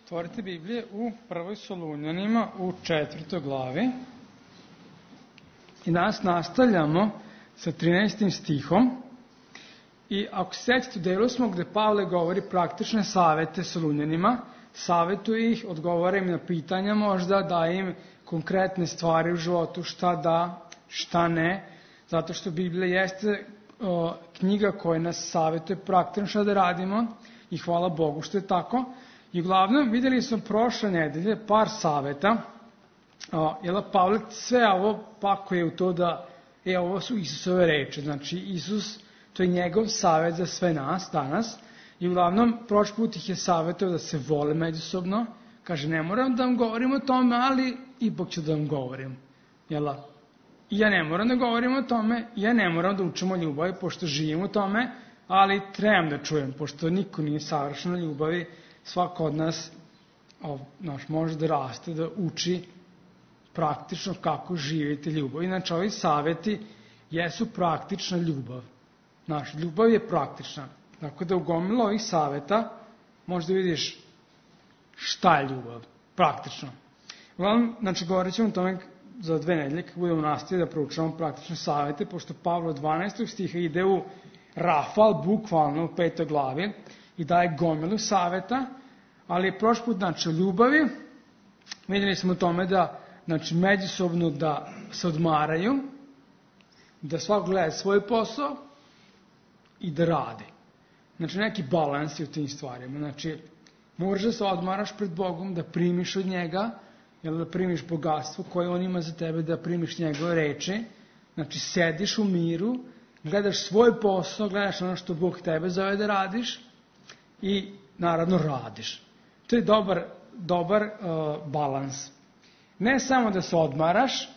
Otvorite Biblije u prvoj Solunjanima u 4. glavi. I danas nastavljamo sa 13. stihom. I ako se sećate, u delu smo gde Pavle govori praktične savete Solunjanima, savetuje ih, odgovara im na pitanja možda, daje im konkretne stvari u životu, šta da, šta ne, zato što Biblija jeste knjiga koja nas savetuje praktično šta da radimo i hvala Bogu što je tako. I uglavnom videli smo prošle nedelje par saveta, jer Pavle sve ovo pakuje u to da ovo su Isusove reči, znači Isus, to je njegov savet za sve nas danas. I uglavnom, prošli put ih je savjetao da se vole međusobno. Kaže, ne moram da vam govorim o tome, ali ipak ću da vam govorim. Jel' I ja ne moram da govorim o tome, ja ne moram da učim o ljubavi, pošto živim u tome, ali trebam da čujem, pošto niko nije savršen u ljubavi, svako od nas može da raste, da uči praktično kako živite ljubav. Inače, ovi savjeti jesu praktična ljubav. Ljubav je praktična. Tako da u gomilu ovih savjeta možda vidiš šta je ljubav, praktično. Uglavnom, govorit ćemo o tome za 2 nedelje, kako budemo nastaviti da proučavamo praktične savjete, pošto Pavle od 12. stiha ide u rafal, bukvalno u 5. glavi, i daje gomilu savjeta, ali je prošli put o ljubavi. Vidjeli smo o tome da međusobno da se odmaraju, da svako gleda svoj posao i da radi. Neki balans je u tim stvarima. Moraš da se odmaraš pred Bogom, da primiš od njega, da primiš bogatstvo koje on ima za tebe, da primiš njegove reči. Sediš u miru, gledaš svoj posao, gledaš ono što Bog tebe zove da radiš i naravno radiš. To je dobar balans. Ne samo da se odmaraš,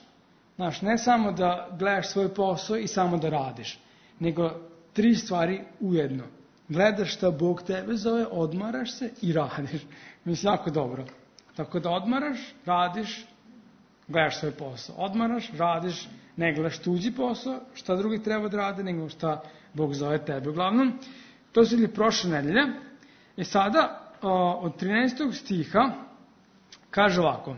ne samo da gledaš svoj posao i samo da radiš, nego 3 stvari ujedno. Gledaš šta Bog tebe zove, odmaraš se i radiš. Mislim, jako dobro. Tako da odmaraš, radiš, gledaš svoj posao. Odmaraš, radiš, ne gledaš tuđi posao, šta drugi treba da rade, nego šta Bog zove tebe. Uglavnom, to su ili prošle nedelje. I sada, od 13. stiha, kaže ovako: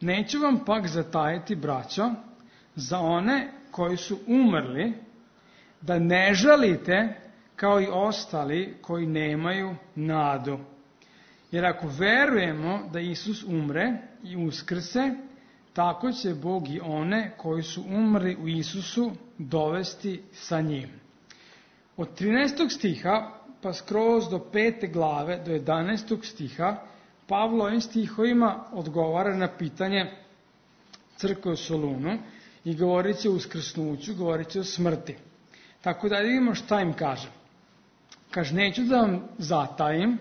neću vam pak zatajiti, braćo, za one koji su umrli, da ne žalite kao i ostali koji nemaju nadu. Jer ako verujemo da Isus umre i uskrse, tako će Bog i one koji su umrli u Isusu dovesti sa njim. Od 13. stiha pa skroz do 5. glave, do 11. stiha, Pavlo ovim stihovima odgovara na pitanje crkve u Solunu i govorit će o uskrsnuću, govorit će o smrti. Tako da vidimo šta im kaže. Kaže, neću da vam zatajim,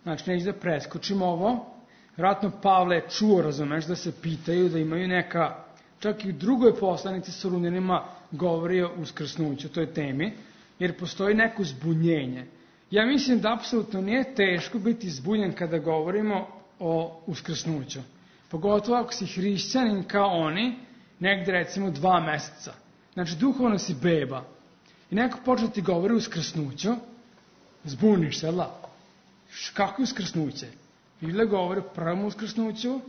neću da preskočim ovo. Vjerojatno Pavle je čuo, razumeš, da se pitaju, da imaju neka, čak i u drugoj poslanici Solunjanima govori o uskrsnuću, toj temi, jer postoji neko zbunjenje. Ja mislim da apsolutno nije teško biti zbunjen kada govorimo o uskrsnuću. Pogotovo ako si hrišćanin kao oni, negde recimo 2 meseca. Duhovno si beba. I neko počne ti govori o uskrsnuću, zbuniš se, kako je uskrsnuće? Biblia govori o prvom uskrsnuću,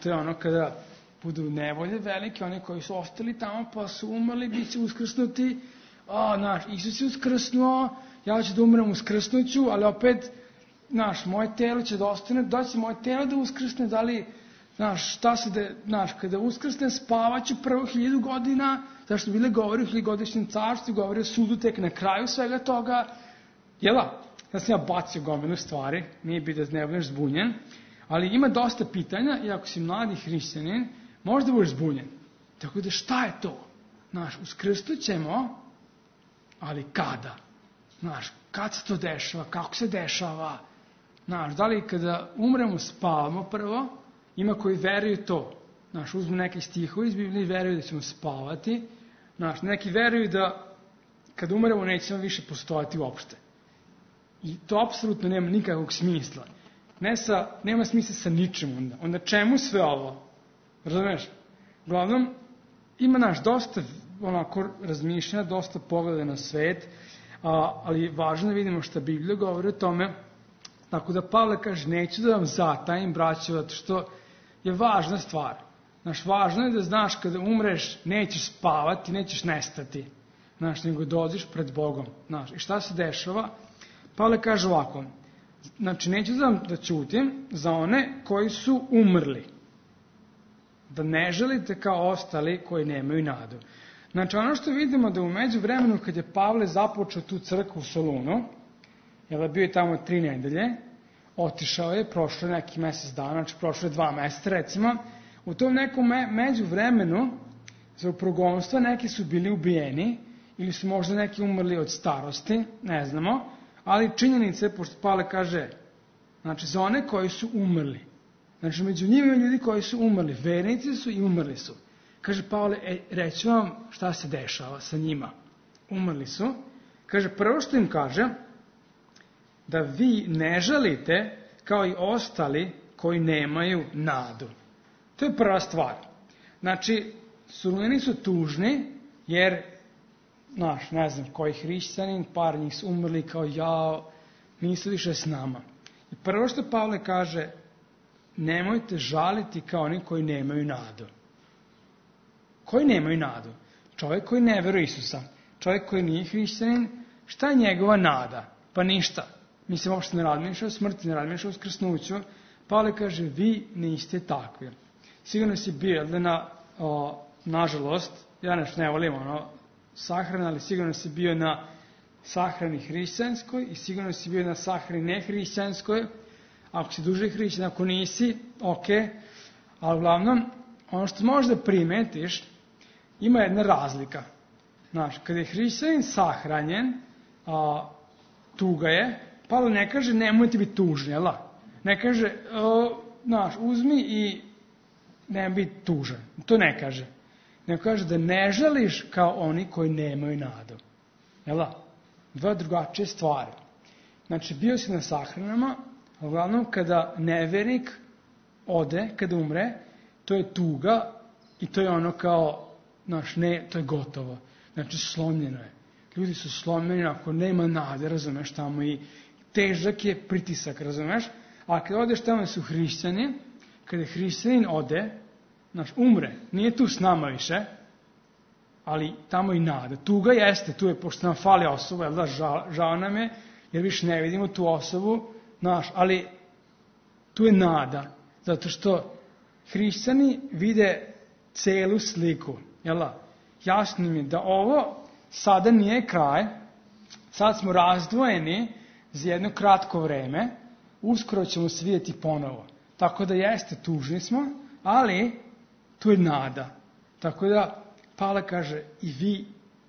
to je ono kada budu nevolje velike, oni koji su ostali tamo pa su umrli, bit će uskrsnuti, Isus je uskrsnuo, ja ću da umrem uskrsnuću, ali opet, moje telo će da ostane, da će moje telo da uskrsne, da li, kada uskrsne spavaću prvo 1000 godina, zašto Biblia govori o 1000-godišnjem carstvu, govori o sudu tek na kraju svega toga, da sam ja bacio gomilu stvari, nije biti da ne budeš zbunjen, ali ima dosta pitanja i ako si mladi hrišćanin, možda budeš zbunjen. Tako da šta je to? Uskrsnut ćemo, ali kada? Kad se to dešava? Kako se dešava? Da li kada umremo spavamo prvo? Ima koji veruju to. Uzmu neki stihovi iz Biblije i veruju da ćemo spavati. Neki veruju da kad umremo nećemo više postojati uopšte. I to apsolutno nema nikakvog smisla. Nema smisla sa ničim onda. Onda čemu sve ovo? Razumeš? Uglavnom, ima dosta razmišljanja, dosta pogleda na svet, ali važno da vidimo šta Biblija govori o tome. Tako da Pavle kaže, neću da vam zatajim, braćo, zato što je važna stvar. Znaš, važno je da znaš kada umreš, nećeš spavati, nećeš nestati. Znaš, nego dođeš pred Bogom. Znaš, i šta se dešava? Pavle kaže ovako, znači, neću da ćutim za one koji su umrli. Da ne želite kao ostali koji nemaju nadu. Znači, ono što vidimo da u međuvremenu, kad je Pavle započeo tu crkvu u Solunu, jer bio je tamo 3 nedelje, otišao je, prošlo je neki mesec dana, znači prošlo je 2 meseca, recimo, u tom nekom međuvremenu, za progonstva, neki su bili ubijeni, ili su možda neki umrli od starosti, ne znamo, ali činjenice, pošto Pavle kaže, znači, za one koji su umrli, znači, među njima ima ljudi koji su umrli, vernici su i umrli su. Kaže Pavle, reću vam šta se dešava sa njima. Umrli su. Kaže, prvo što im kaže, da vi ne žalite kao i ostali koji nemaju nadu. To je prva stvar. Znači, Solunjani su tužni, jer, znaš, ne znam, koji hrišćanin, par njih su umrli kao jao, nisu više s nama. I prvo što Pavle kaže, nemojte žaliti kao oni koji nemaju nadu. Koji nemaju nadu? Čovjek koji ne veruje Isusa, čovjek koji nije hrišćanin, šta je njegova nada? Pa ništa. Mislim, uopšte ne razmišlja o smrti, ne razmišlja o uskrsnuću. Pavle kaže, vi niste takvi. Sigurno si bio, nažalost, ja nešto ne volim sahrana, ali sigurno si bio na sahrani hrišćanskoj i sigurno si bio na sahrani nehrišćanskoj. Ako si duže hrišćan, ako nisi, ok. Ali uglavnom, ono što možda primetiš, ima jedna razlika. Znaš, kada je hrišćanin sahranjen, tuga je, Pavle ne kaže nemojte biti tužni, jel da? Ne kaže, uzmi i nemoj biti tužan. To ne kaže. Nego kaže da ne žališ kao oni koji nemaju nadu. Jel da? 2 drugačije stvari. Znači, bio si na sahranama, a uglavnom kada nevernik ode, kada umre, to je tuga i to je ono kao, to je gotovo. Znači, slomljeno je. Ljudi su slomljeni, ako nema nade, razumeš, tamo i težak je pritisak, razumeš? A kada odeš tamo su hrišćani, kada hrišćanin ode, umre, nije tu s nama više, ali tamo i nada. Tuga jeste, tu je, pošto nam fali osoba, jel da, žao nam je, jer više ne vidimo tu osobu, ali tu je nada, zato što hrišćani vide celu sliku, jel da? Jasno im je da ovo sada nije kraj, sad smo razdvojeni za jedno kratko vreme, uskoro ćemo se vidjeti ponovo. Tako da jeste, tužni smo, ali tu je nada. Tako da Pavle kaže i vi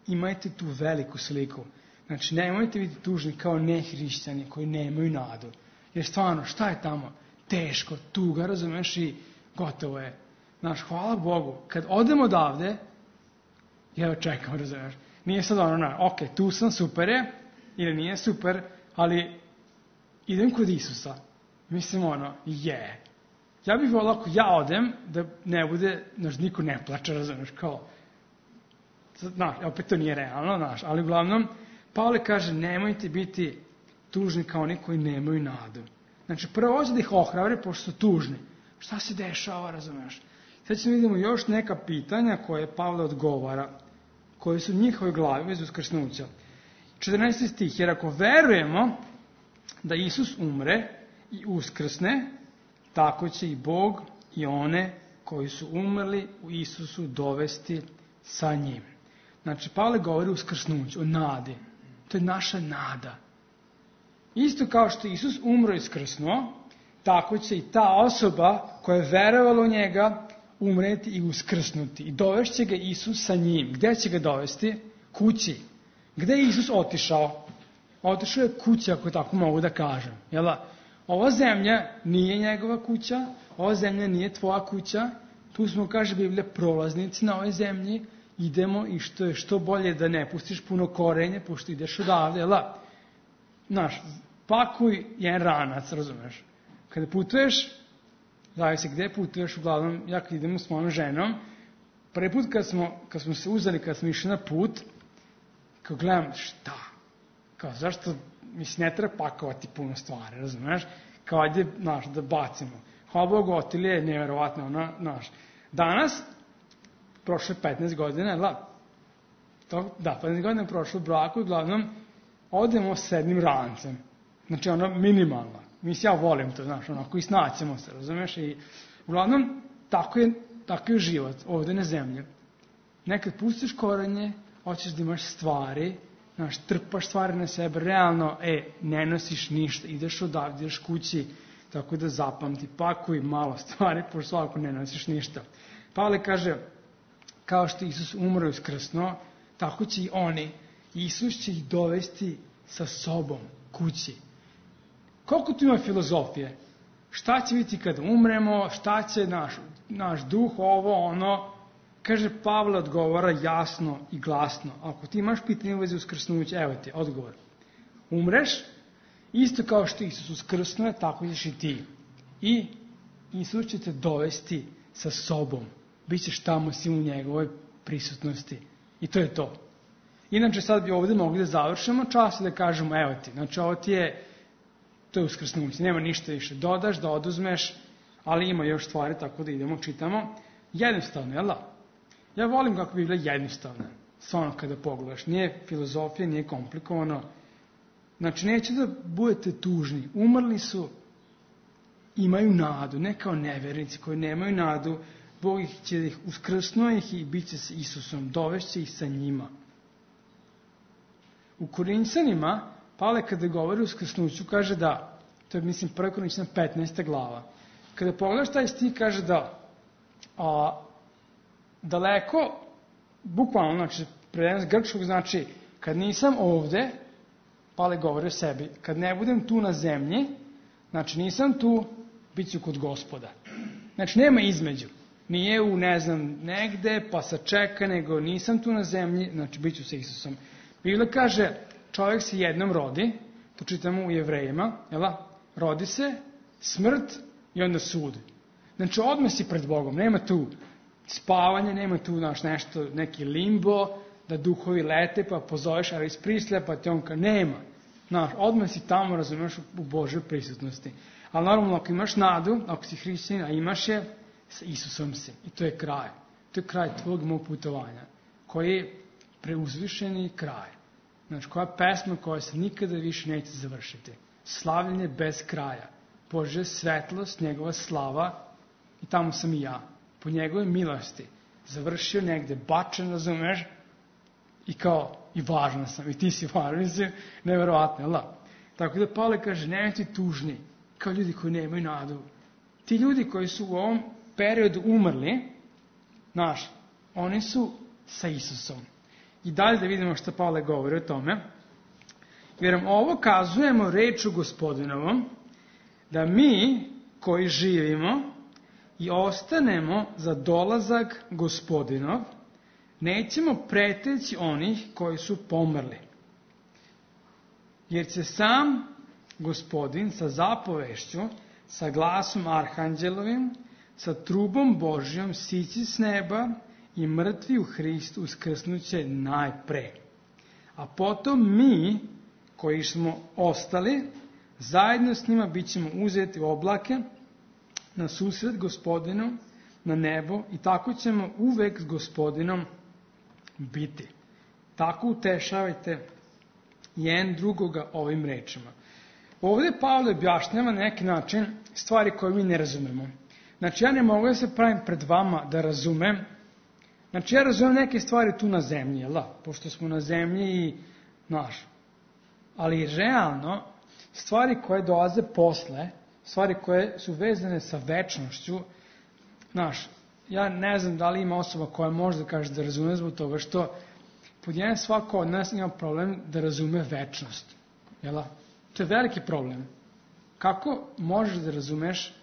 imajte tu veliku sliku. Znači, nemojte biti tužni kao nehrišćani koji nemaju nadu. Jer stvarno, šta je tamo? Teško, tuga, razumeš, i gotovo je. Znaš, hvala Bogu, kad odemo odavde, ja čekam, razumeš. Nije sad ok, tu sam, super je, ili nije super, ali idem kod Isusa. Mislim, Ja bih volao ako ja odem, da ne bude, niko ne plače, razumeš, kao, opet to nije realno, ali uglavnom, Pavle kaže, nemojte biti tužni kao oni koji nemaju nadu. Znači, prvo hoće da ih ohrabri, pošto su tužni. Šta se dešava, razumeš? Sad ćemo vidimo još neka pitanja koje Pavle odgovara, koje su njihove glavi bez uskrsnuća. 14. stih, jer ako verujemo da Isus umre i uskrsne, tako će i Bog i one koji su umrli u Isusu dovesti sa njim. Znači, Pavle govori o uskrsnuću, o nadi. To je naša nada. Isto kao što je Isus umro i skrsnuo, tako će i ta osoba koja je verovala u njega umreti i uskrsnuti. I dovešće ga Isus sa njim. Gde će ga dovesti? Kući. Gde je Isus otišao? Otišao je kući, ako tako mogu da kažem. Ova zemlja nije njegova kuća, ova zemlja nije tvoja kuća. Tu smo, kaže Biblija, prolaznici na ovoj zemlji. Idemo i što bolje da ne pustiš puno korenje, pošto ideš odavde. Pakuj jedan ranac, razumeš? Kada putuješ, zavisi gde putuješ, uglavnom, ja kad idemo s mojom ženom, prvi put kad smo se uzeli, kad smo išli na put, kao gledam, šta? Kao, zašto mislim, ne treba pakovati puno stvari, razumeš? Kao ajde, znaš, da bacimo. Hvala Bogu, Otilija je nevjerovatno, ona, znaš. Danas, prošle 15 godina, da, 15 godina je prošlo u braku i uglavnom odemo s jednim rancem. Znači, ono, minimalno. Mislim, ja volim to, znaš, onako, i snaćemo se, razumeš? I uglavnom, tako je život ovde na zemlji. Nekad pustiš korenje, hoćeš da imaš stvari, znaš, trpaš stvari na sebe, realno, ne nosiš ništa, ideš odavde, ideš kući, tako da zapamti, pakuj malo stvari, pošto svako ne nosiš ništa. Pavle kaže, kao što Isus umro i uskrsnuo, tako će i oni, Isus će ih dovesti sa sobom kući. Koliko tu ima filozofije? Šta će biti kad umremo, šta će naš duh, ovo, ono. Kaže, Pavle odgovara jasno i glasno. Ako ti imaš pitanje u vezi uskrsnuća, evo ti odgovor. Umreš, isto kao što Isus uskrsnuje, tako ćeš i ti. I Isus će te dovesti sa sobom. Bićeš tamo si u njegovoj prisutnosti. I to je to. Inače, sad bi ovdje mogli da završimo čas i da kažemo, evo ti, znači ovo ti je, to je uskrsnuće, nema ništa više. Dodaš, da oduzmeš, ali ima još stvari, tako da idemo, čitamo. Jednostavno, jel da? Ja volim kako bi bila jednostavna, stvarno kada pogledaš. Nije filozofija, nije komplikovano. Znači, neće da budete tužni. Umrli su, imaju nadu, ne kao nevernici koji nemaju nadu. Bog će ih uskrsnuo ih i bit će sa Isusom, dovešće ih sa njima. U Korinćanima, Pavle kada govori o uskrsnuću, kaže da, to je mislim 1. Korinćanima 15. glava, kada pogledaš taj stih, kaže da daleko, bukvalno, znači, prevedeno s grčkog, znači, kad nisam ovde, Pavle govori o sebi, kad ne budem tu na zemlji, znači nisam tu, bit ću kod Gospoda. Znači, nema između. Nije u, ne znam, negde, pa sačeka, nego nisam tu na zemlji, znači, bit ću sa Isusom. Biblia kaže, čovjek se jednom rodi, to čitamo u Jevrejima, rodi se, smrt i onda sud. Znači, odmah si pred Bogom, nema tu spavanje, nema tu nešto, neki limbo, da duhovi lete, pa pozoveš Elvis Presley, pa te on nema. Odmah si tamo, razumiješ, u Božoj prisutnosti. Ali normalno, ako imaš nadu, ako si hrišćanin, a imaš je, sa Isusom si. I to je kraj. To je kraj tvojeg mog putovanja, koji je preuzvišeni kraj. Znači, koja pesma koja se nikada više neće završiti. Slavljenje bez kraja. Božja svetlost, njegova slava, i tamo sam i ja. Po njegove milosti. Završio negde, bačen, razumeš, i kao, i važna sam, i ti si važan, mislim, neverovatno, jel da? Tako da Pavle kaže, nemojte tužni, kao ljudi koji nemaju nadu. Ti ljudi koji su u ovom periodu umrli, oni su sa Isusom. I dalje da vidimo što Pavle govori o tome. Jer nam ovo kazujemo reču Gospodinovom, da mi koji živimo i ostanemo za dolazak Gospodinov, nećemo preteći onih koji su pomrli. Jer će sam Gospodin sa zapovešću, sa glasom arhanđelovim, sa trubom Božjom sići s neba i mrtvi u Hristu uskrsnuće najpre. A potom mi, koji smo ostali, zajedno s njima bit ćemo uzeti u oblake na susret Gospodinu, na nebo, i tako ćemo uvek s Gospodinom biti. Tako utešavajte jedan drugoga ovim rečima. Ovdje Pavle objašnjava na neki način stvari koje mi ne razumemo. Znači, ja ne mogu da se pravim pred vama da razumem. Znači, ja razumem neke stvari tu na zemlji, pošto smo na zemlji i ali realno, stvari koje dolaze posle, stvari koje su vezane sa večnošću, ja ne znam da li ima osoba koja može da kaže da razume zbog toga što pod jedan svako od nas ima problem da razume večnost. To je veliki problem. Kako možeš da razumeš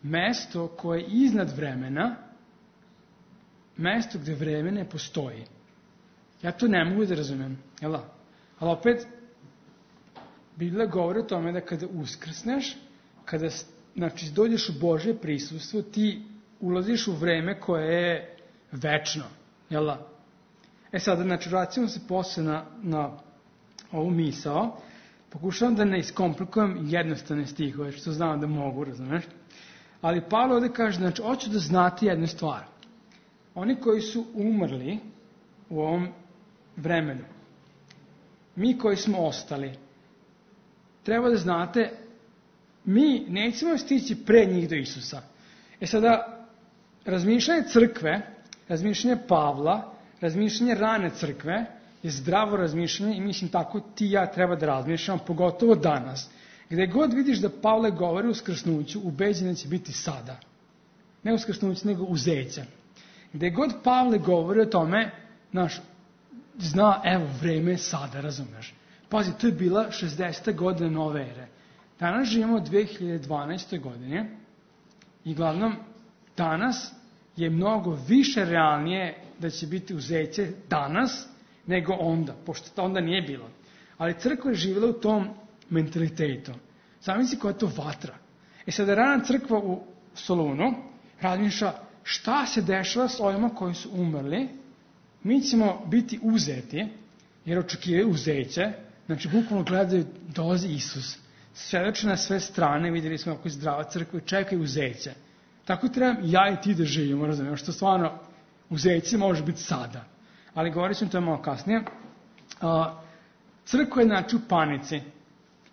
mesto koje je iznad vremena, mesto gde vreme ne postoji? Ja to ne mogu da razumem. Ali opet, Biblija govori o tome da kada uskrsneš, kada dođeš u Božje prisustvo, ti ulaziš u vreme koje je večno. Sada, vraćamo se posle na ovu misao. Pokušavam da ne iskomplikujem jednostavne stihove, što znam da mogu, razumeš? Ali Pavle ovdje kaže, znači, hoću da znate jednu stvar. Oni koji su umrli u ovom vremenu, mi koji smo ostali, treba da znate, mi nećemo stići pre njih do Isusa. Sada, razmišljanje crkve, razmišljanje Pavla, razmišljanje rane crkve je zdravo razmišljanje i mislim tako ti i ja treba da razmišljamo, pogotovo danas. Gde god vidiš da Pavle govori o uskrsnuću, ubeđen će biti sada. Ne uskrsnuću, nego uzeća. Gde god Pavle govori o tome, zna, evo, vreme je sada, razumeš. Pazi, to je bila 60. godina nove ere. Danas živimo u 2012. godine i glavnom danas je mnogo više realnije da će biti uzeće danas nego onda, pošto to onda nije bilo. Ali crkva je živjela u tom mentalitetu. Zamisli koja je to vatra. Sada rana crkva u Solunu razmišlja šta se dešava s ovima koji su umrli. Mi ćemo biti uzeti, jer očekivaju uzeće, znači bukvalno gledaju, dolazi Isus. Svedoče na sve strane, vidjeli smo kako je zdrava crkva i čekaju uzeće. Tako treba ja i ti da živimo, razumijemo, što stvarno uzeće može biti sada. Ali govorit ćemo to malo kasnije. Crkva je znači u panici.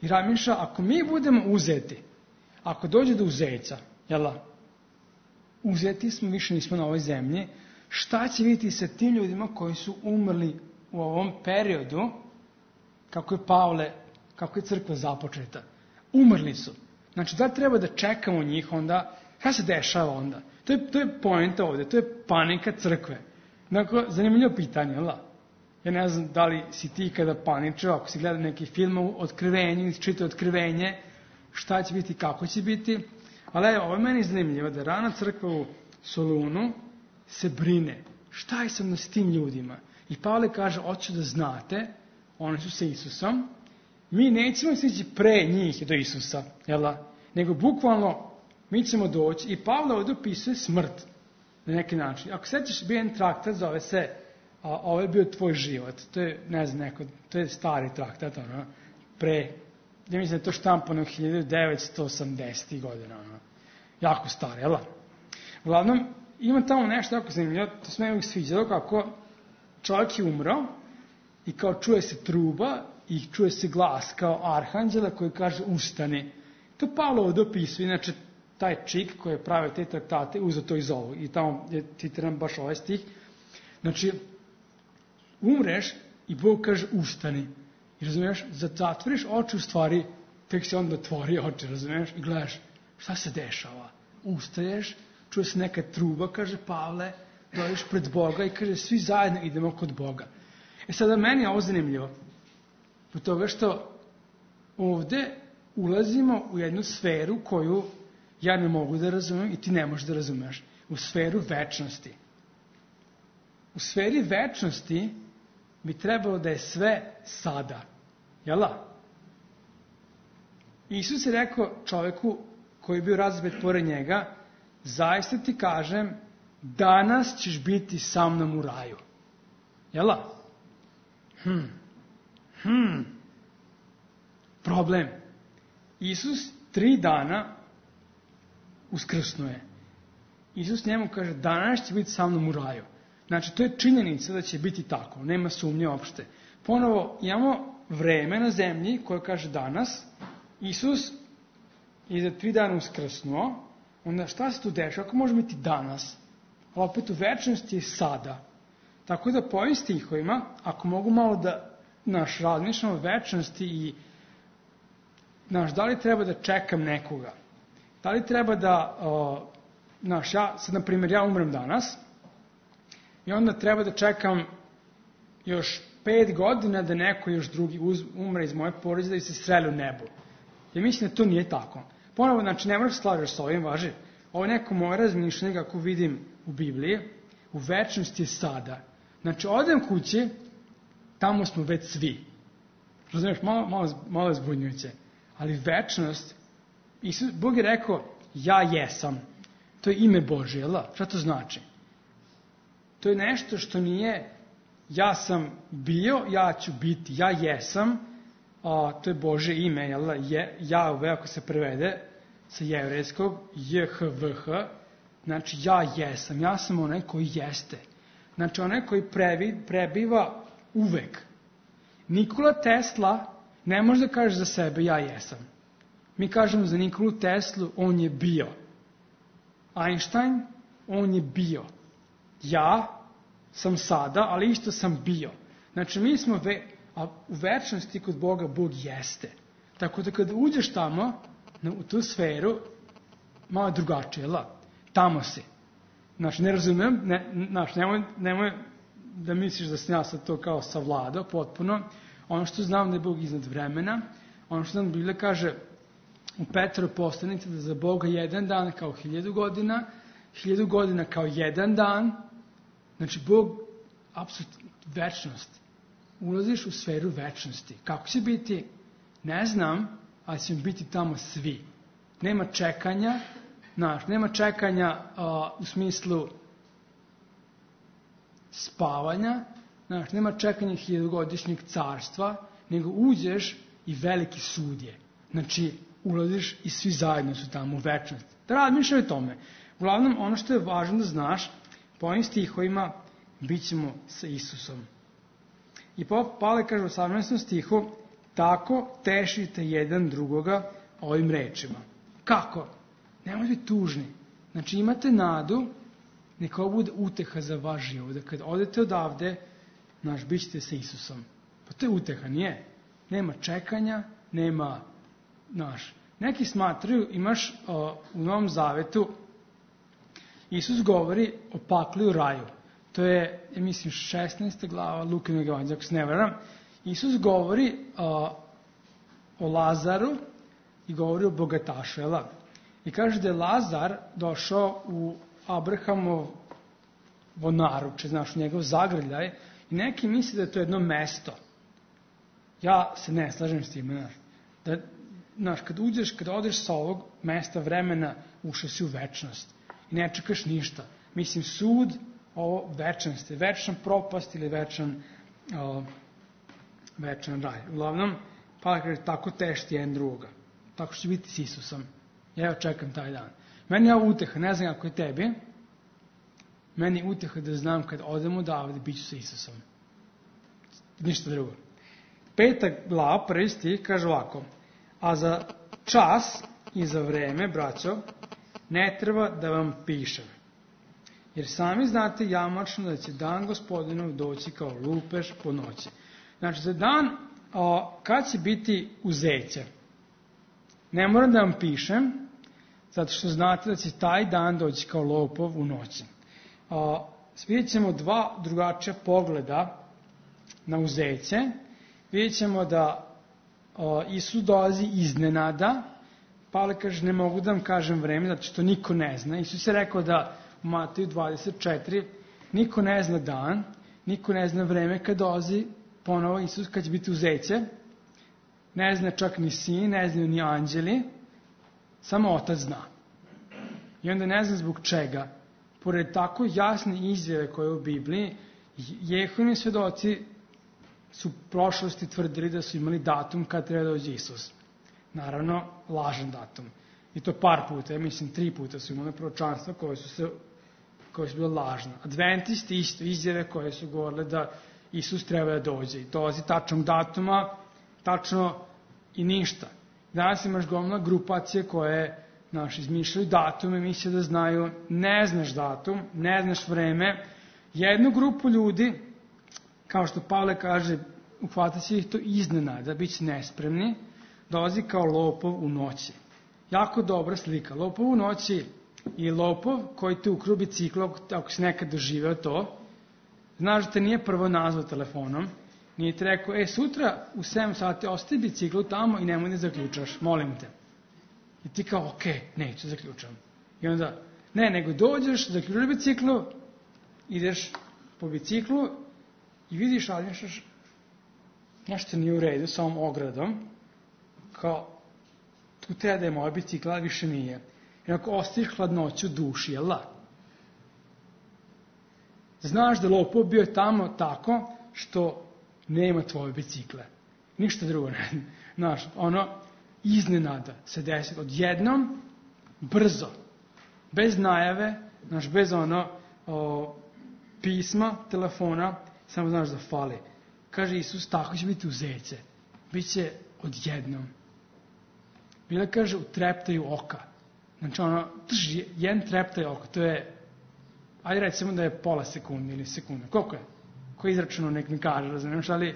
I razmišlja, ako mi budemo uzeti, ako dođe do uzeća, uzeti smo, više nismo na ovoj zemlji, šta će vidjeti sa tim ljudima koji su umrli u ovom periodu, kako je crkva započeta? Umrli su. Znači, da treba da čekamo njih onda, šta se dešava onda? To je poenta ovdje, to je panika crkve. Dakle, zanimljivo pitanje, Ja ne znam da li si ti kada paničao, ako si gledao neki film o otkrivenju, čitao otkrivenje, šta će biti, kako će biti. Ali evo, ovo je meni zanimljivo, da rana crkva u Solunu se brine. Šta je sam s tim ljudima? I Pavle kaže, hoću da znate, oni su sa Isusom, mi nećemo stići pre njih do Isusa, nego bukvalno mi ćemo doći. I Pavle ovdje opisuje smrt na neki način. Ako sećaš, bio jedan traktat, zove se ovo je bio tvoj život. To je, ne znam, to je stari traktat, ja mislim da je to štampano 1980. godina, jako stari, Uglavnom, ima tamo nešto jako zanimljivo, to se me uvijek sviđalo, kako čovjek je umro i kao čuje se truba i čuje se glas kao arhanđela koji kaže ustani. To Pavlo ovdje opisuje, inače taj čik koji je pravio te traktate uzeo to iz ovog i tamo je citiram baš ovaj stih. Znači, umreš i Bog kaže ustani. I razumiješ, zatvoriš oči u stvari, tek se onda otvori oči, razumiješ, i gledaš šta se dešava. Ustaješ, čuje se neka truba, kaže Pavle, dođeš pred Boga i kaže svi zajedno idemo kod Boga. Sada meni je ovo zanimljivo. Zbog toga što ovdje ulazimo u jednu sferu koju ja ne mogu da razumem i ti ne možeš da razumeš. U sferu večnosti. U sferi večnosti bi trebalo da je sve sada. Isus je rekao čovjeku koji je bio razbet pored njega, zaista ti kažem, danas ćeš biti sa mnom u raju. Problem. Isus 3 dana uskrsnuje. Isus njemu kaže, danas će biti sa mnom u raju. Znači, to je činjenica da će biti tako. Nema sumnje uopšte. Ponovo, imamo vreme na zemlji koje kaže danas. Isus je za 3 dana uskrsnuo. Onda šta se tu dešava? Ako može biti danas? Ali opet u večnosti je sada. Tako da po ovim stihovima, ako mogu malo da razmišljamo o večnosti i da li treba da čekam nekoga? Da li treba da, sad na primjer ja umrem danas i onda treba da čekam još 5 godina da neko još drugi umre iz moje porodice da se sreli u nebu. Ja mislim da to nije tako. Ponovo, znači ne moraš slažeš s ovim, važi. Ovo je neko moje razmišljanje kako vidim u Bibliji. U večnosti je sada. Znači, odem kući, tamo smo već svi. Razumiješ, malo zbunjujuće. Ali večnost, Bog je rekao, ja jesam. To je ime Božje, šta to znači? To je nešto što nije, ja sam bio, ja ću biti, ja jesam, to je Božje ime, Jahve, ako se prevede sa jevrejskog, JHVH, znači ja jesam, ja sam onaj koji jeste. Znači onaj koji prebiva uvek. Nikola Tesla ne može da kaže za sebe ja jesam. Mi kažemo za Nikolu Teslu on je bio. Einstein, on je bio. Ja sam sada, ali isto sam bio. Znači mi smo u večnosti kod Boga Bog jeste. Tako da kada uđeš tamo, u tu sferu, malo drugačije, tamo si. Znači, ne razumem, nemoj da misliš da sam ja sad to kao savladao potpuno. Ono što znam da je Bog iznad vremena, ono što nam Biblija kaže u Petru poslanici da za Boga jedan dan kao 1000 godina, 1000 godina kao jedan dan. Znači, Bog, apsolutno, večnost. Ulaziš u sferu večnosti. Kako će biti? Ne znam, ali ćemo biti tamo svi. Nema čekanja, nema čekanja u smislu spavanja, nema čekanja 1000-godišnjeg carstva, nego uđeš i veliki sud je. Znači, ulaziš i svi zajedno su tamo u večnosti. Da razmišljaj o tome. Uglavnom, ono što je važno da znaš, po ovim stihovima bit ćemo sa Isusom. I Pavle kaže u 18. stihu, tako tešite jedan drugoga ovim rečima. Kako? Nemojte biti tužni. Znači imate nadu, neka ovo bude uteha za vaš život. Da kad odete odavde, bit ćete sa Isusom. Pa to je uteha, nije? Nema čekanja, nema, neki smatraju, imaš u Novom Zavetu, Isus govori o pakli u raju. To je, ja mislim, 16. glava Lukinog evanđelja, ako se ne varam. Isus govori o Lazaru i govori o bogatašu, I kaže da je Lazar došao u Abrahamovo naruče, u njegov zagrljaj, i neki misle da je to jedno mesto. Ja se ne slažem s tim, kad odeš sa ovog mesta vremena, ušao si u večnost. I ne čekaš ništa. Mislim, sud, ovo večnost, večna propast ili večan raj. Uglavnom, pa kaže, tako tešti jedan drugoga. Tako što će biti s Isusom. Ja čekam taj dan. Meni je ovo uteha, ne znam kako je tebi. Meni je uteha da znam kad odem odavde, bit ću sa Isusom. Ništa drugo. 5. glava, 1. stih, kaže ovako. A za čas i za vreme, braćo, ne treba da vam pišem. Jer sami znate jamačno da će dan Gospodinov doći kao lupež po noći. Znači, za dan kad će biti uzeće. Ne moram da vam pišem, zato što znate da će taj dan doći kao lopov u noći. Vidjet ćemo dva drugačija pogleda na uzeće. Vidjet ćemo da Isus dolazi iznenada. Pavle kaže, ne mogu da vam kažem vreme, zato što niko ne zna. Isus je rekao da u Mateju 24, niko ne zna dan, niko ne zna vreme kad dolazi ponovo Isus, kad će biti uzeće. Ne zna čak ni sin, ne znaju ni anđeli, samo Otac zna. I onda ne zna zbog čega. Pored tako jasne izjave koje je u Bibliji, Jehovini svedoci su u prošlosti tvrdili da su imali datum kad treba doći Isus. Naravno, lažan datum. I to par puta, ja mislim 3 puta su imali proročanstva koje su bile lažne. Adventisti isto, izjave koje su govorile da Isus treba da dođe. I dolazi tačnog datuma, tačno i ništa. Danas imaš gomila grupacije koje izmišljaju datume, misle da znaju, ne znaš datum, ne znaš vreme. Jednu grupu ljudi, kao što Pavle kaže, uhvatit će ih to iznenada, bit će nespremni, dolazi kao lopov u noći. Jako dobra slika. Lopov u noći je lopov koji te ukru biciklo, ako si nekad doživeo to. Znaš da te nije prvo nazvao telefonom, nije ti rekao, sutra u 7 sati ostavi biciklu tamo i nemoj da zaključaš, molim te. I ti kao, neću zaključam. I onda, nego dođeš, zaključaš biciklu, ideš po biciklu i vidiš, nešto nije u redu sa ovom ogradom, kao, tu treba da je moja bicikla, ali više nije. I ako ostaviš hladnoću duši, jel da? Znaš da lopov bio tamo tako što nema tvoje bicikle. Ništa drugo ne. Znaš, ono iznenada se desi odjednom, brzo, bez najave, znaš, bez pisma, telefona, samo znaš da fali. Kaže Isus, tako će biti u zece. Biće odjednom. Bila kaže, u treptaju oka. Znači jedan treptaj oka, to je, ajde recimo da je pola sekunde ili sekunda. Koliko je? Ko je izračunao, nek mi kaže, razumiješ, ali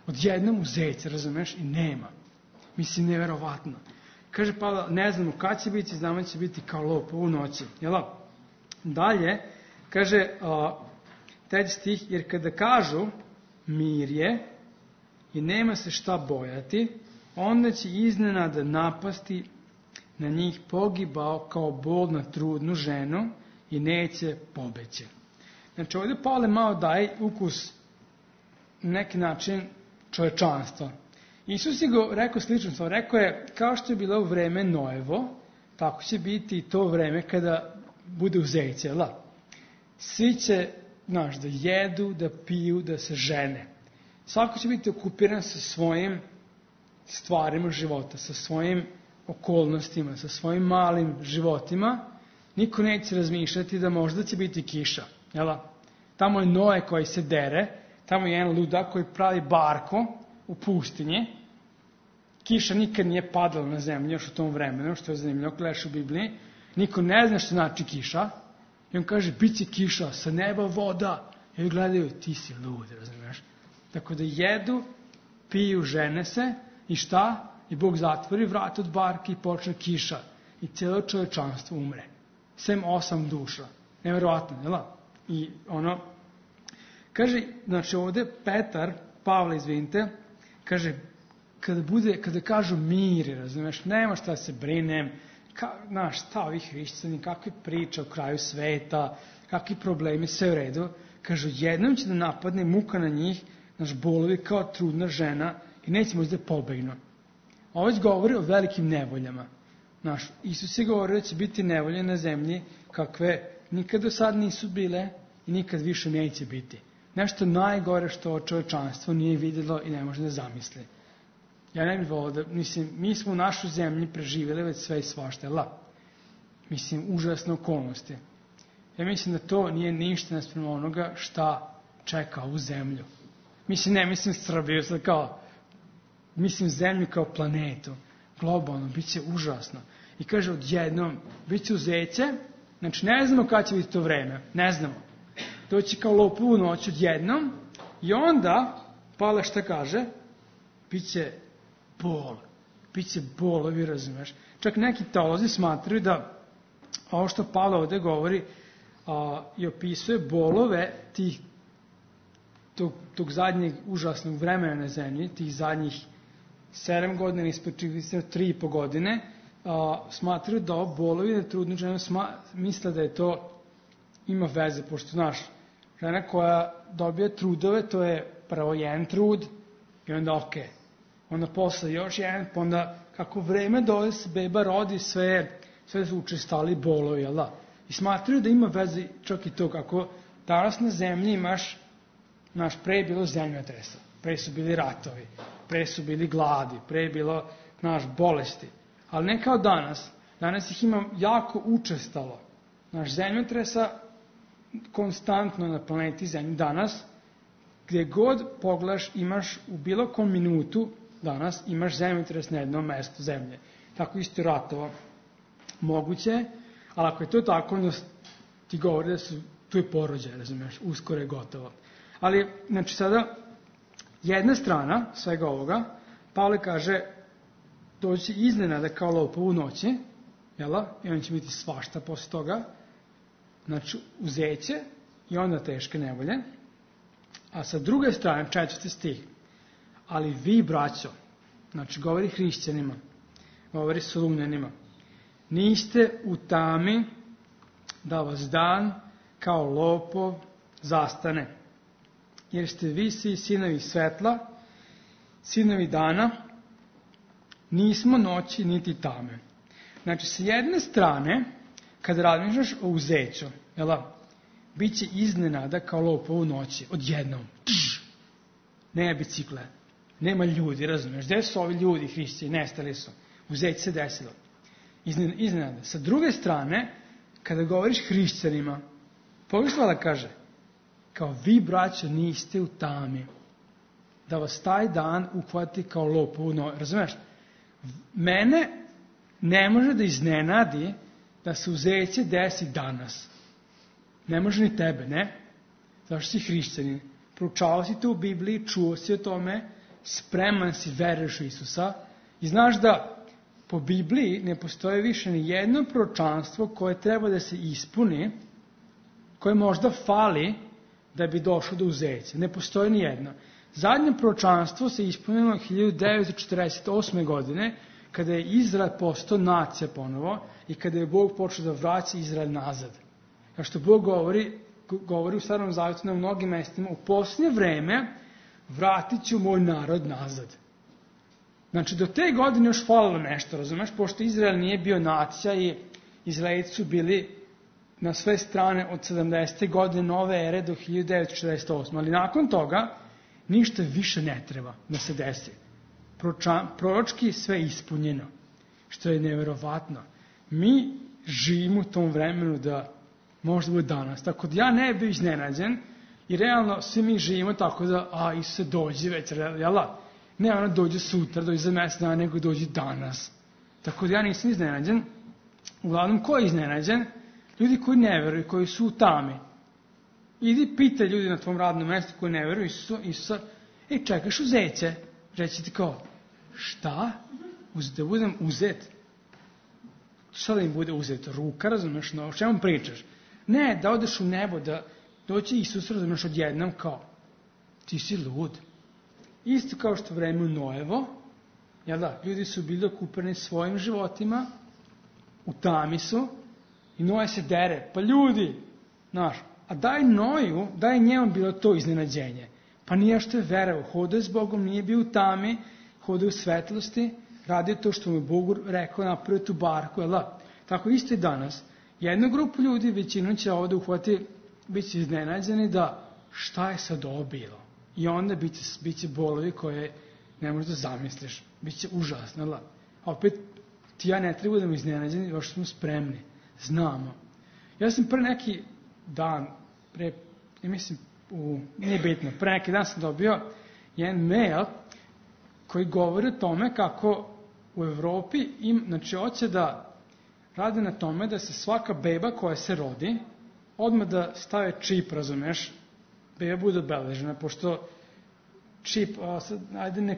odjednom u zece, razumiješ, i nema. Mislim, neverovatno. Kaže Pavle, ne znamo kad će biti, znamo da će biti kao lopov u noći. Jel? Dalje, kaže, 3. stih, jer kada kažu mir je i nema se šta bojati, onda će iznenada napasti na njih pogibao kao bol na trudnu ženu i neće pobeći. Znači ovdje Pavle malo daje ukus na neki način čovečanstva. Isus je go rekao slično stvar, rekao je kao što je bilo u vreme Noevo, tako će biti i to vreme kada bude u zejci, jel da? Svi će, znaš, da jedu, da piju, da se žene. Svako će biti okupiran sa svojim stvarima života, sa svojim okolnostima, sa svojim malim životima. Niko neće razmišljati da možda će biti kiša, jel da? Tamo je Noe koji se dere, tamo je jedan ludak koji pravi barko u pustinji. Kiša nikad nije padala na zemlju još u tom vremenu, što je zanimljivo, ako gledaš u Bibliji. Niko ne zna što znači kiša. I on kaže, bit će kiša, sa neba voda. I oni gledaju, ti si lud, razumiješ? Tako da jedu, piju, žene se i šta? I Bog zatvori vrat od barke i počne kiša. I cijelo čovečanstvo umre. Sem 8 duša. Neverovatno, jel? I kaže, znači ovdje Pavle, izvinite, kaže, kada kažu mir, razumiješ, nema šta se brinem, znaš, šta ovi hrišćani, kakve priče o kraju sveta, kakvi problemi, sve u redu. Kažu, jednom će da napadne muka na njih, naš bolovi kao trudna žena i neće moći da pobegnu. Ovo govori o velikim nevoljama. Naš, Isus je govorio da će biti nevolje na zemlji kakve nikad do sad nisu bile i nikad više neće biti. Nešto najgore što čovečanstvo nije vidjelo i ne može da zamisli. Ja ne bih volio da, mislim, mi smo u našoj zemlji preživjeli već sve i svašta, mislim, užasne okolnosti. Ja mislim da to nije ništa naspram onoga šta čeka ovu zemlju. Mislim, ne mislim Srbiju, mislim zemlju kao planetu, globalno, bit će užasno. I kaže odjednom, bit će u zece, znači ne znamo kada će biti to vreme, ne znamo. Doći kao lopov u noć odjednom i onda, Pavle šta kaže, bit će bol. Biće bolovi, razumeš. Čak neki teolozi smatraju da ovo što Pavle ovdje govori i opisuje bolove tog zadnjeg užasnog vremena na zemlji, tih zadnjih 7 godina, ispod 3,5 godine, smatraju da ovo bolovi na trudnu ženu misle da je to ima veze, pošto znaš, žena koja dobije trudove, to je prvo jedan trud i onda okej. Onda posle još jedan, pa onda kako vreme dolazi se beba rodi, sve su učestali bolovi, jel da? I smatraju da ima veze čak i to kako danas na zemlji imaš, pre je bilo zemljotresa, pre su bili ratovi, pre su bili gladi, pre je bilo, bolesti. Ali ne kao danas. Danas ih ima jako učestalo. Zemljotresa konstantno na planeti Zemlji danas, gdje god pogledaš imaš u bilo kom minutu danas imaš zemljotres na jednom mjestu zemlje. Tako isto ratova moguće, ali ako je to tako, onda ti govori da tu je porođaj, razumiješ, uskoro je gotovo. Ali, znači sada, jedna strana svega ovoga, Pavle kaže, doći iznenada kao lopov u noći, jela, i on će biti svašta posle toga, znači uzeće i onda teške nevolje. A sa druge strane, 4. stih, ali vi, braćo, znači govori hrišćanima, govori Solunjanima, niste u tami da vas dan kao lopov zastane, jer ste vi svi sinovi svetla, sinovi dana, nismo noći niti tame. Znači, sa jedne strane, kada razmišljaš o uzeću, bit će iznenada kao lopov u noći, odjednom. Nema bicikle, nema ljudi, razumiješ? Gde su ovi ljudi, hrišćani, nestali su. U Zeci se desilo. Iznenada. Sa druge strane, kada govoriš hrišćanima, pogledaj što da kaže, kao vi, braćo, niste u tami, da vas taj dan uhvati kao lopovu, razumiješ? Mene ne može da iznenadi da se u Zeci desi danas. Ne može ni tebe, ne? Zašto si hrišćanin? Proučavao si to u Bibliji, čuo si o tome, spreman si, veruješ u Isusa i znaš da po Bibliji ne postoji više ni jedno proročanstvo koje treba da se ispuni, koje možda fali da bi došlo do uzeća. Ne postoji ni jedno. Zadnje proročanstvo se ispunilo 1948. godine, kada je Izrael postao nacija ponovo i kada je Bog počeo da vraća Izrael nazad. Kao što Bog govori u Starom Zavjetu na mnogim mestima, u posljednje vreme vratit ću moj narod nazad. Znači, do te godine još falilo nešto, razumeš, pošto Izrael nije bio nacija i Izraelci su bili na sve strane od 70. godine nove ere do 1948. Ali nakon toga ništa više ne treba da se desi. Proročki sve ispunjeno, što je neverovatno. Mi živimo u tom vremenu da možda bude danas. Tako da ja ne bih iznenađen i realno svi mi živimo tako da, Isuse, dođi već, jel da? Ne ono dođe sutra, dođe za mjesec dana, nego dođe danas. Tako da ja nisam iznenađen. Uglavnom, ko je iznenađen? Ljudi koji ne veruju, koji su u tami. Idi pitaj ljudi na tvom radnom mjestu koji ne veruju Isusa, čekaš uzeće. Reći ti kao, šta? Da budem uzet? Šta da im bude uzet? Ruka, razumeš, o čemu pričaš? Ne, da odeš u nebo, da doći Isus, razumeš, odjednom kao, ti si lud. Isto kao što vreme u Noevo, jel da, ljudi su bili okupeni svojim životima, u tami su, i Noe se dere, pa ljudi, znaš, a daj Noju, daj njemu bilo to iznenađenje. Pa nije što je verao, hodao je s Bogom, nije bio u tami, hodao u svetlosti, radio to što mu je Bog rekao, napravio tu barku, jel da? Tako isto i danas. Jednu grupu ljudi, većinu će ovdje uhvati, bit će iznenađeni da šta je sad ovo bilo. I onda bit će bolovi koje ne možeš da zamisliš. Biće užasno, jel da? A opet, ti ja ne treba da mi iznenađeni, još smo spremni. Znamo. Ja sam pre neki dan, nije bitno, pre neki dan sam dobio jedan mail koji govori o tome kako u Evropi znači hoće da rade na tome da se svaka beba koja se rodi, odmah da stave čip, razumeš, beba bude obeležena, pošto čip, ajde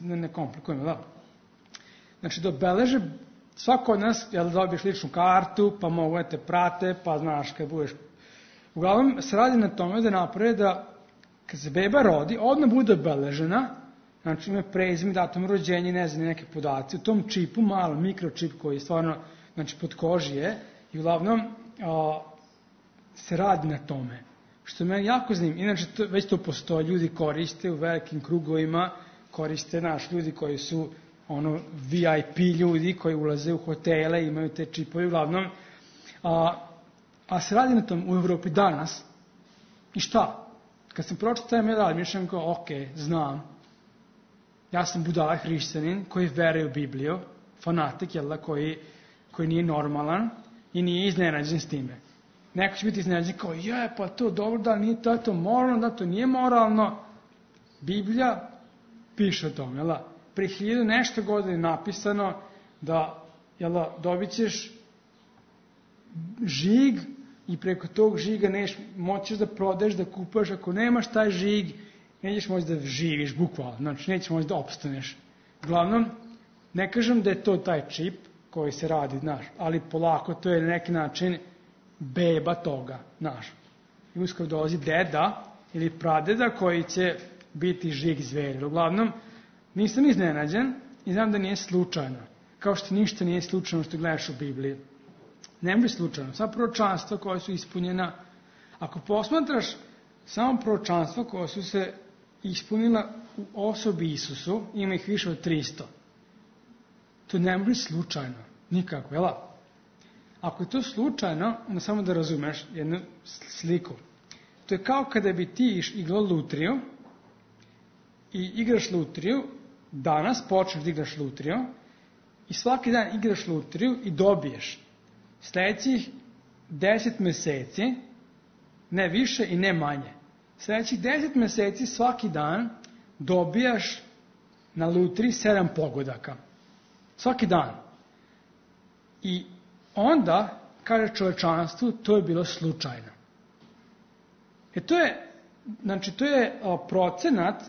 ne komplikujemo, da. Znači da obeleže svako od nas, jel dobiješ ličnu kartu, pa mogu da te prate, pa znaš kad budeš. Uglavnom se radi na tome da naprave da kad se beba rodi, odmah bude obeležena, znači ima prezime, datum rođenja, ne znam, neke podaci, u tom čipu, malo mikročip koji je stvarno, znači pod koži je, i uglavnom se radi na tome. Što je meni jako zanimljivo, inače već to postoji, ljudi koriste u velikim krugovima, koriste ljudi koji su VIP ljudi koji ulaze u hotele, imaju te čipove, uglavnom, a se radi na tom u Evropi danas. I šta? Kad sam pročitao taj mail, mišljam kao, ok, znam, ja sam budala hrišćanin koji veruje u Bibliju, fanatik, jel da, koji nije normalan i nije iznenađen s time. Neko će biti iznenađen kao, pa to dobro, da nije to moralno, da to nije moralno. Biblija piše o tom, jel da? Pre 1000 nešto godine napisano da, jel da, dobit ćeš žig i preko tog žiga moćeš da prodaješ, da kupaš, ako nemaš taj žig, nećeš moći da živiš, bukvalno, znači nećeš moći da opstaneš. Uglavnom, ne kažem da je to taj čip koji se radi, ali polako to je na neki način beba toga, I uskoro dolazi deda ili pradeda koji će biti žig zveri. Uglavnom, nisam iznenađen i znam da nije slučajno. Kao što ništa nije slučajno što gledaš u Bibliji. Ne može slučajno. Sva proročanstva koja su ispunjena. Ako posmatraš samo proročanstva koja su se ispunila u osobi Isusu, ima ih više od 300. To ne može slučajno. Nikako, jel? Ako je to slučajno, onda samo da razumeš jednu sliku. To je kao kada bi ti igrao lutriju i igraš lutriju, danas počneš da igraš lutriju i svaki dan igraš lutriju i dobiješ sledećih 10 meseci, ne više i ne manje. Sledećih 10 meseci svaki dan dobijaš na lutriji 7 pogodaka. Svaki dan. I onda, kaže čovečanstvu, to je bilo slučajno. To je procenat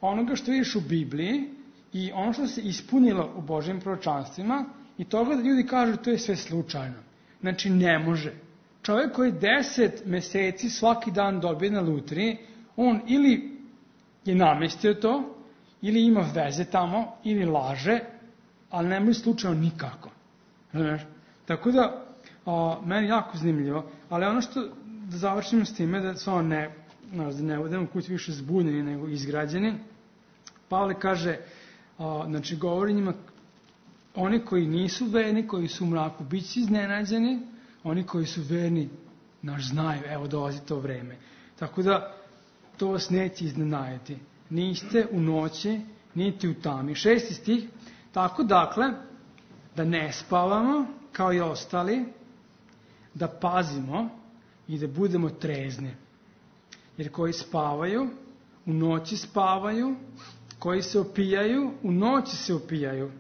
onoga što vidiš u Bibliji i ono što se ispunilo u Božjim proročanstvima i toga da ljudi kažu to je sve slučajno. Znači ne može. Čovjek koji 10 meseci svaki dan dobije na lutriji, on ili je namestio to, ili ima veze tamo, ili laže, ali ne može slučajno nikako. Znaš? Tako da, meni jako zanimljivo, ali ono što, da završimo s time, da samo ne budemo kući više zbunjeni nego izgrađeni, Pavle kaže, znači govori njima, oni koji nisu verni, koji su u mraku, bit će iznenađeni, oni koji su verni, znaju, evo dolazi to vreme. Tako da, to vas neće iznenaditi. Niste u noći, niti u tami. 6. stih, tako dakle, da ne spavamo, kao i ostali, da pazimo i da budemo trezni. Jer koji spavaju, u noći spavaju, koji se opijaju, u noći se opijaju.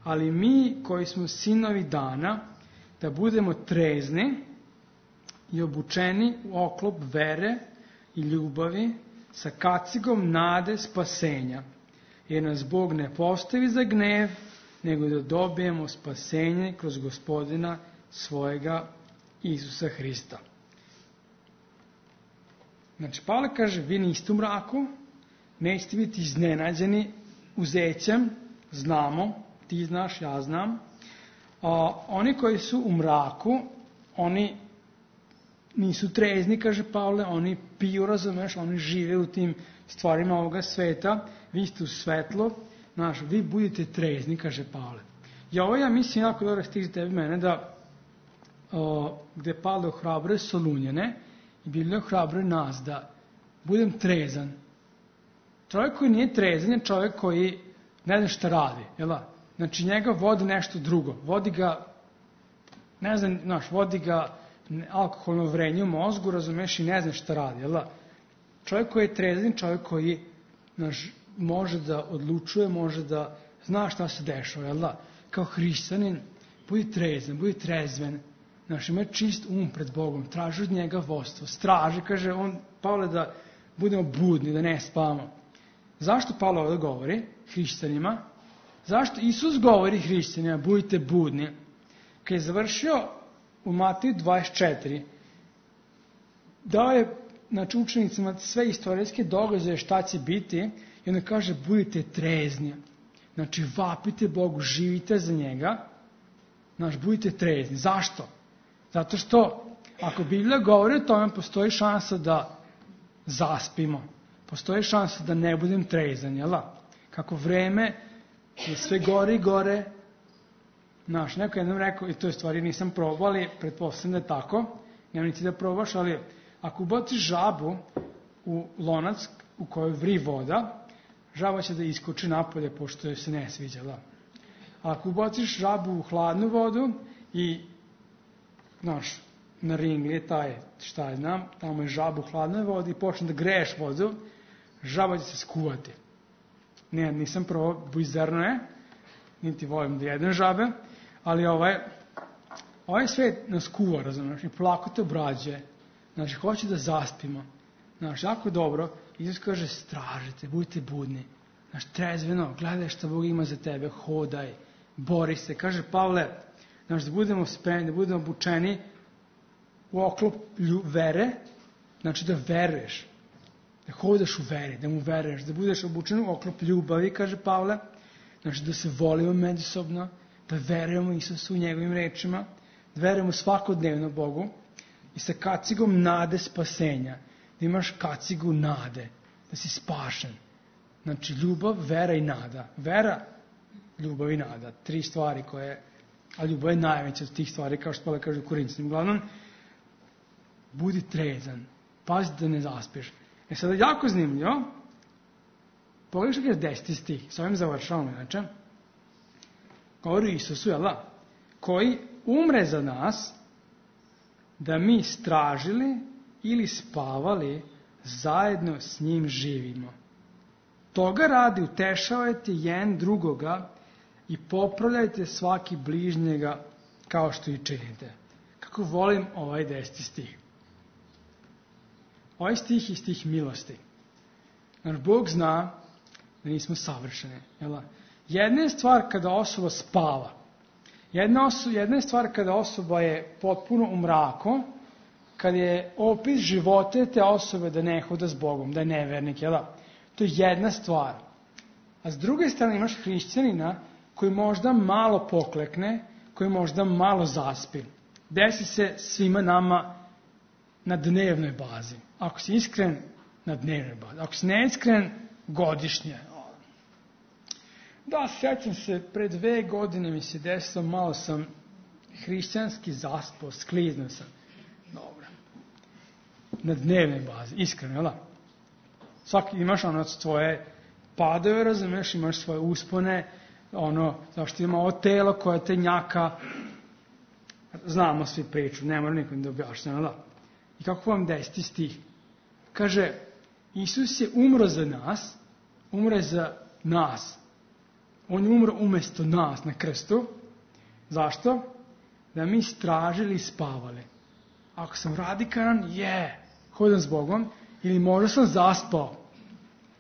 Ali mi koji smo sinovi dana, da budemo trezni i obučeni u oklop vere i ljubavi, sa kacigom nade spasenja. Jer nas Bog ne postavi za gnev, nego da dobijemo spasenje kroz Gospodina svojega Isusa Hrista. Znači, Pavle kaže, vi niste u mraku, nećete biti iznenađeni uzećem, znamo, ti znaš, ja znam. Oni koji su u mraku, oni nisu trezni, kaže Pavle, oni piju, razumeš, oni žive u tim stvarima ovoga sveta, vi ste u svetlo, vi budite trezni, kaže Pavle. I ovo ja mislim jako dobro stih za tebe mene, da gde Pavle ohrabruje Solunjane i Biblija ohrabruje nas da budem trezan. Čovjek koji nije trezan je čovjek koji ne zna šta radi, jel da? Znači njega vodi nešto drugo, vodi ga, vodi ga alkoholno vrenje u mozgu, razumeš, i ne zna šta radi, jel da? Čovjek koji je trezan, čovjek koji može da odlučuje, može da zna šta se dešava, jel da? Kao hrišćanin, budi trezan, budi trezven, ima čist pred Bogom, traži od njega vodstvo, straži, kaže Pavle, da budemo budni, da ne spavamo. Zašto Pavle ovdje govori hrišćanima? Zašto Isus govori hrišćanima, budite budni? Kad je završio u Mateju 24, dao je učenicima sve istorijske događaje šta će biti i onda kaže budite trezni. Znači vapite Bogu, živite za njega, budite trezni. Zašto? Zato što ako Biblija govori o tome, postoji šansa da zaspimo. Postoji šansa da ne budem trezan, jel da? Kako vreme je sve gore i gore. Neko jednom rekao, i to je stvari nisam probao, ali pretpostavljam da je tako, nema niti da probaš, ali ako ubaciš žabu u lonac u kojoj vri voda, žaba će da iskoči napolje, pošto joj se ne sviđa, da. Ako ubaciš žabu u hladnu vodu i, na ringli je taj, šta je znam, tamo je žabu u hladnoj vodi i počne da greješ vodu, žaba će se skuvati. Nisam probao, bujzerno je, niti volim da jedem žabe, ali ovaj svet nas kuva, razumiješ, i polako te obrađuje. Hoće da zaspimo. Jako dobro, Isus kaže, stražite, budite budni. Trezveno, gledaj šta Bog ima za tebe, hodaj, bori se. Kaže Pavle, da budemo spremni, da budemo obučeni u oklop vere, da veruješ, da hodaš u veri, da mu veruješ, da budeš obučen u oklop ljubavi, kaže Pavle, da se volimo međusobno, da verujemo Isusu u njegovim rečima, da verujemo svakodnevno Bogu i sa kacigom nade spasenja, da imaš kacigu nade, da si spašen. Ljubav, vera i nada. Vera, ljubav i nada. 3 stvari koje, a ljubav je najveća od tih stvari, kao što Pavle kaže u Korinćanim. Uglavnom, budi trezan, pazi da ne zaspiješ. Sada jako zanimljivo, Pogledaj što je 10. stih, s ovim završavamo inače. Govori o Isusu, jel da? Koji umre za nas, da mi stražili ili spavali, zajedno s njim živimo. Toga radi utešavajte jedan drugoga i popravljajte svaki bližnjega kao što i činite. Kako volim ovaj 10. stih. Ovaj stih je stih milosti. Naš Bog zna da nismo savršeni. Jel? Jedna je stvar kada osoba spava. Jedna je stvar kada osoba je potpuno u mraku, kada je opis života te osobe da ne hoda s Bogom, da je nevernik. Jel? To je jedna stvar. A s druge strane imaš hrišćanina koji možda malo poklekne, koji možda malo zaspi. Desi se svima nama na dnevnoj bazi. Ako si iskren, na dnevnoj bazi. Ako si neiskren, godišnje. Da, sjećam se, pre 2 godine mi se desilo, malo sam hrišćanski zaspao, skliznuo sam. Dobro. Na dnevnoj bazi, iskreno, jel da? Svaki imaš svoje padove, razumiješ, imaš svoje uspone, zašto ima ovo telo koje te njaka. Znamo svi priču, ne mora nikom da objašnjava, da. I kako vam 10. stih? Kaže, Isus je umro za nas, umre za nas. On je umro umjesto nas na krstu. Zašto? Da mi stražili i spavali. Ako sam radikalan, hodam s Bogom, ili možda sam zaspao.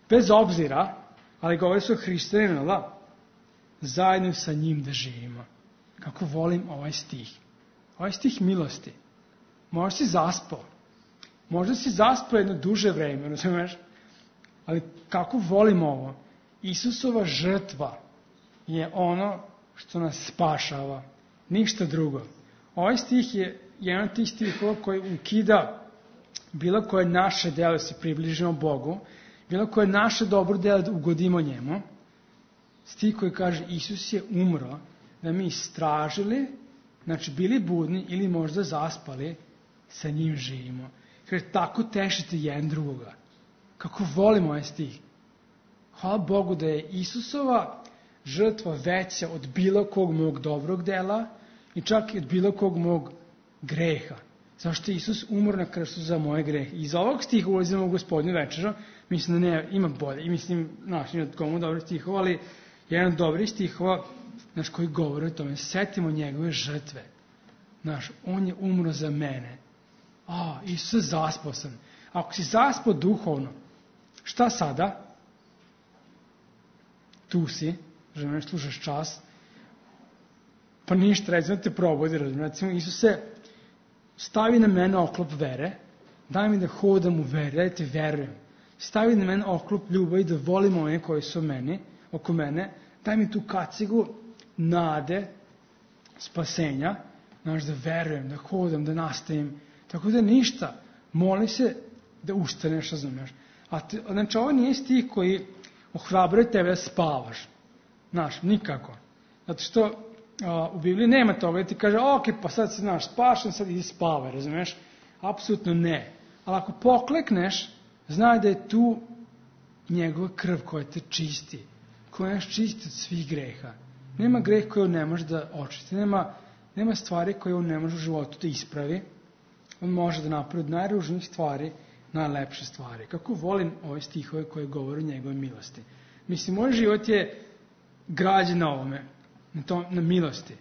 Bez obzira, ali govori su o hrišćaninu, da? Zajedno sa njim da živimo. Kako volim ovaj stih. Ovaj stih milosti. Možda si zaspao. Možda si zaspao jedno duže vreme, razumeš? Ali kako volim ovo. Isusova žrtva je ono što nas spašava. Ništa drugo. Ovaj stih je jedan od tih stihova koji ukida bilo koje naše delo se približimo Bogu, bilo koje naše dobro delo da ugodimo njemu. Stih koji kaže Isus je umro da mi stražili, znači bili budni ili možda zaspali, sa njim živimo. Kaže, tako tešite jedan drugoga. Kako volim ovaj stih. Hvala Bogu da je Isusova žrtva veća od bilo kog mog dobrog dela i čak i od bilo kog mog greha. Zašto je Isus umro na krstu za moje grehe. Iz ovog stiha ulazimo u Gospodnju večeru, mislim da ne, ima bolje. I mislim, ima komu dobrih stihova, ali jedan od dobrih stihova, koji govori o tome. Setimo njegove žrtve. On je umro za mene. Isus, zaspao sam. Ako si zaspao duhovno, šta sada? Tu si, žena, slušaš čas, pa ništa, recimo te probudi, recimo, Isuse, stavi na mene oklop vere, daj mi da hodam u veri, da ti verujem. Stavi na mene oklop ljubavi, da volim one koji su oko mene, daj mi tu kacigu nade, spasenja, da verujem, da hodam, da nastavim. Tako da ništa, moli se da ustaneš, razumiješ. Znači, ovo nije stih koji ohrabruje tebe da spavaš. Nikako. Zato što u Bibliji nema toga da ti kaže, pa sad si spašen, sad idi spavaj, razumiješ? Apsolutno ne. Ali ako poklekneš, znaj da je tu njegova krv koja te čisti, koja nas čisti od svih greha. Nema greh koji on ne može da očisti, nema stvari koje on ne može u životu da ispravi. On može da napravi od najružnijih stvari najlepše stvari. Kako volim ove stihove koje govore o njegove milosti. Mislim, moj život je građen na ovome, na milosti.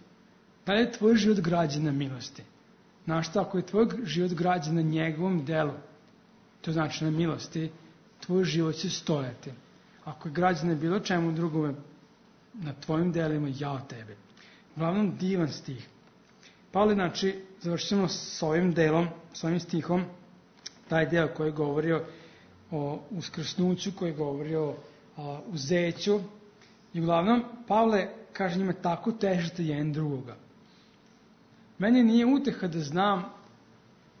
Da li je tvoj život građen na milosti? Znaš šta, ako je tvoj život građen na njegovom delu, to znači na milosti, tvoj život će stojati. Ako je građen na bilo čemu drugome, na tvojim delima, ja od tebe. Uglavnom, divan stih. Pavle, znači, završimo s ovim delom, s ovim stihom, taj deo koji govori o uskrsnuću, koji govori o uzeću. I uglavnom, Pavle kaže njima, tako težite jedan drugoga. Meni nije uteha da znam,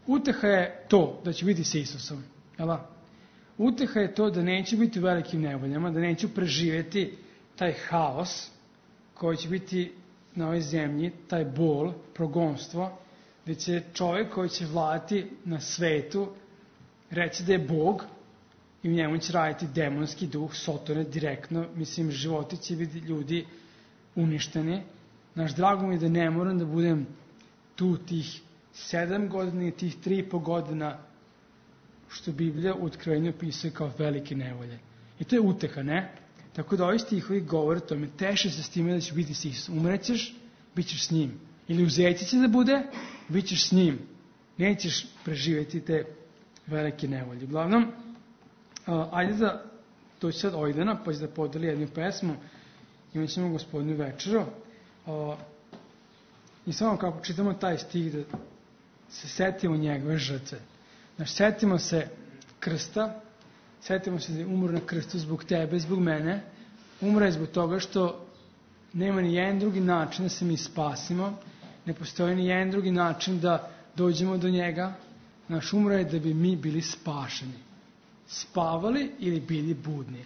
uteha je to da ću biti s Isusom. Uteha je to da neću biti u velikim nevoljama, da neću preživjeti taj haos koji će biti na ovoj zemlji, taj bol, progonstvo, gdje će čovjek koji će vladati na svetu reći da je Bog i u njemu će raditi demonski duh, Sotone direktno, mislim, životi će biti ljudi uništeni. Naš drago mi je da ne moram da budem tu tih 7 godina i tih 3,5 godina što Biblija u Otkrivenju opisuje kao velike nevolje. I to je uteha, ne? Tako da ovi stihovi govore tome, teše se s time da ćeš biti s Isusom. Umrećeš, bit ćeš s njim. Ili u zeci će da bude, bit ćeš s njim. Nećeš preživjeti te velike nevolje. Uglavnom, ajde da doći sad Ojdana, pa će da podeli jednu pesmu. Imat ćemo Gospodinu večeru. I samo kako čitamo taj stih, da se setimo njegove žrtve. Znači, setimo se krsta, setimo se da je umro na krstu zbog tebe, zbog mene. Umro je zbog toga što nema ni jedan drugi način da se mi spasimo. Ne postoji ni jedan drugi način da dođemo do njega. Naš umro je da bi mi bili spašeni. Spavali ili bili budni.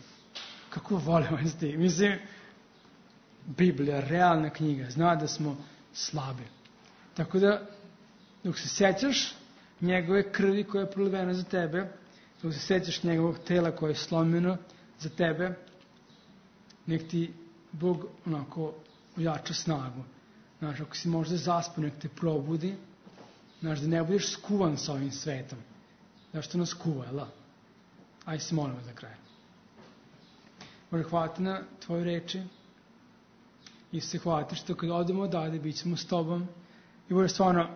Kako volimo s tim. Mislim, Biblija, realna knjiga, zna da smo slabi. Tako da, dok se sećaš njegove krvi koja je prolivena za tebe, dok se sećaš njegovog tela koje je slomljeno za tebe, nek ti Bog onako ojača snagu. Znaš, ako si možda zaspan, nek te probudi, znaš, da ne budeš skuvan sa ovim svetom. Zašto nas kuva, jel? Ajde se molimo za kraj. Bože, hvala ti na tvoje reči i se hvala ti što kad odemo odavde, bit ćemo s tobom. I Bože, stvarno,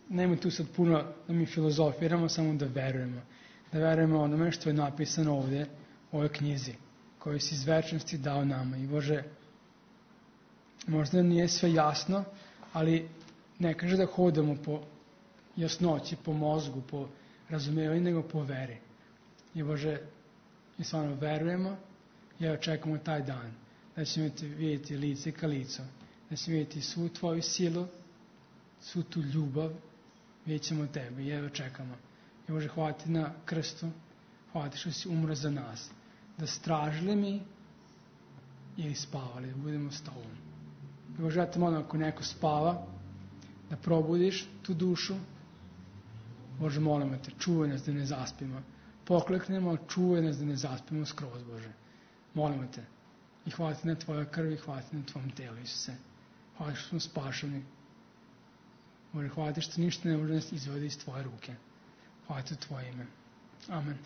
nema tu sad puno da mi filozofiramo, samo da verujemo. Da verujemo onome što je napisano ovdje u ovoj knjizi, koju si iz večnosti dao nama. I Bože, možda nije sve jasno, ali ne kaže da hodamo po jasnoći, po mozgu, po razumijevanju, nego po veri. I Bože, mi stvarno verujemo i očekujemo taj dan, da ćemo te vidjeti lice ka licu, da ćemo vidjeti svu tvoju silu, svu tu ljubav, vidjet ćemo tebe i evo čekamo. I Bože, hvala ti na krstu, hvala ti što si umro za nas, da stražili mi ili spavali, da budemo s tobom. I Bože, ja te molim, ako neko spava, da probudiš tu dušu. Bože, molimo te, čuvaj nas da ne zaspimo. Pokleknemo, čuvaj nas da ne zaspimo skroz, Bože. Molimo te. I hvala ti na tvojoj krvi, hvala ti na tvom telu, Isuse. Hvala ti što smo spašeni. Bože, hvala ti što ništa ne može nas izvodi iz tvoje ruke. Hvala ti u tvoje ime. Amen.